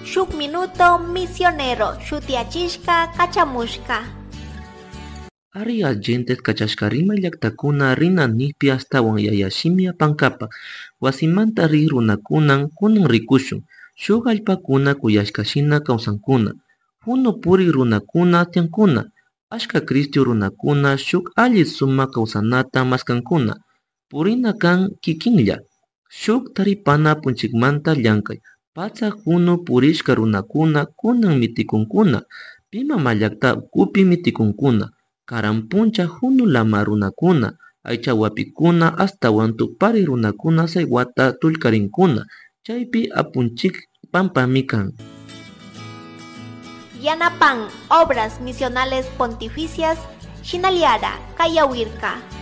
Shuk Minuto Misionero shutiyachishka kachamushka. Ari agentes kachashka rimay llaktakuna rina nikpi ashtawan yaya shimi apankapak wasimanta rik runakunan kunan rikushun shuk allpakuna kuyashkashina kawsankuna hunu purik runakuna tiyankuna achka Cristo runakuna shuk alli sumak kawsanata maskankuna purina kan kikinlla shuk taripana apunchikmanta llankay patsak hunu purishka runakuna kunan mitikunkuna pi mamallakta ukupi mitikunkuna karan puncha hunu lama runakuna aychawapikuna ashtawan tupari runakuna saywata tullkarinkuna chaypi apunchik pampami kan. Yanapan Obras Misionales Pontificias Shinaliara Kayawirka.